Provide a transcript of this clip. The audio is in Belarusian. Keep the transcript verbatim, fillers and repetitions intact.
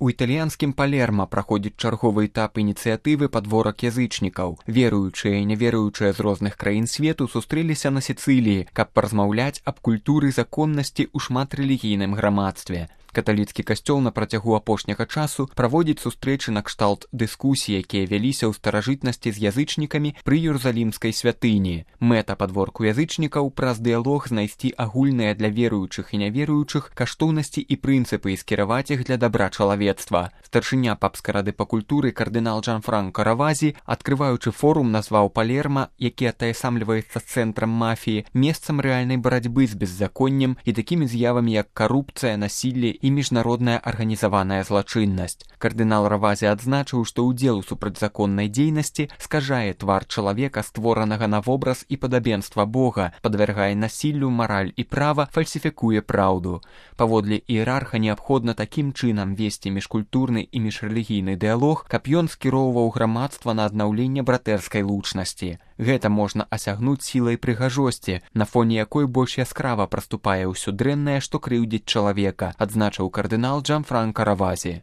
У італьянскім Палерма праходзіць чарговы этап ініцыятывы «Падворак язычнікаў». Веруючыя і няверуючыя з розных краін свету сустрэліся на Сіцыліі, каб паразмаўляць аб культуры законнасці ў шматрэлігійным грамадстве. Каталіцкі касцёл на працягу апошняга часу праводзіць сустрэчы накшталт дыскусій, якія вяліся ў старажытнасці з язычнікамі пры Іерусалімскай святыні. Мэта падворку язычнікаў праз дыялог знайсці агульныя для веруючых і няверуючых каштоўнасці і прынцыпы і скіраваць іх для дабра чалавецтва. Старшыня папскай рады па культуры кардынал Джанфранко Равазі, адкрываючы форум, назваў Палерма, які атаясамліваецца цэнтрам мафіі, месцам рэальнай барацьбы з беззаконнем і такімі з'явамі, як карупцыя, насілле і міжнародная арганізаваная злачыннасць. Кардынал Равазі адзначыў, што ўдзел у супрацьзаконнай дзейнасці скажае твар чалавека, створанага на вобраз і падабенства Бога, падвяргае насіллю мараль і права, фальсіфікуе праўду. Паводле іерарха неабходна такім чынам весці міжкультурны і міжрэлігійны дыялог, каб ён скіроўваў грамадства на аднаўленне братэрскай лучнасці. Гэта можна асягнуць сілай прыгажосці, на фоне якой больш яскрава праступае ўсё дрэннае, што крыўдзіць чалавека, адзначыў кардынал Джанфранко Равазі.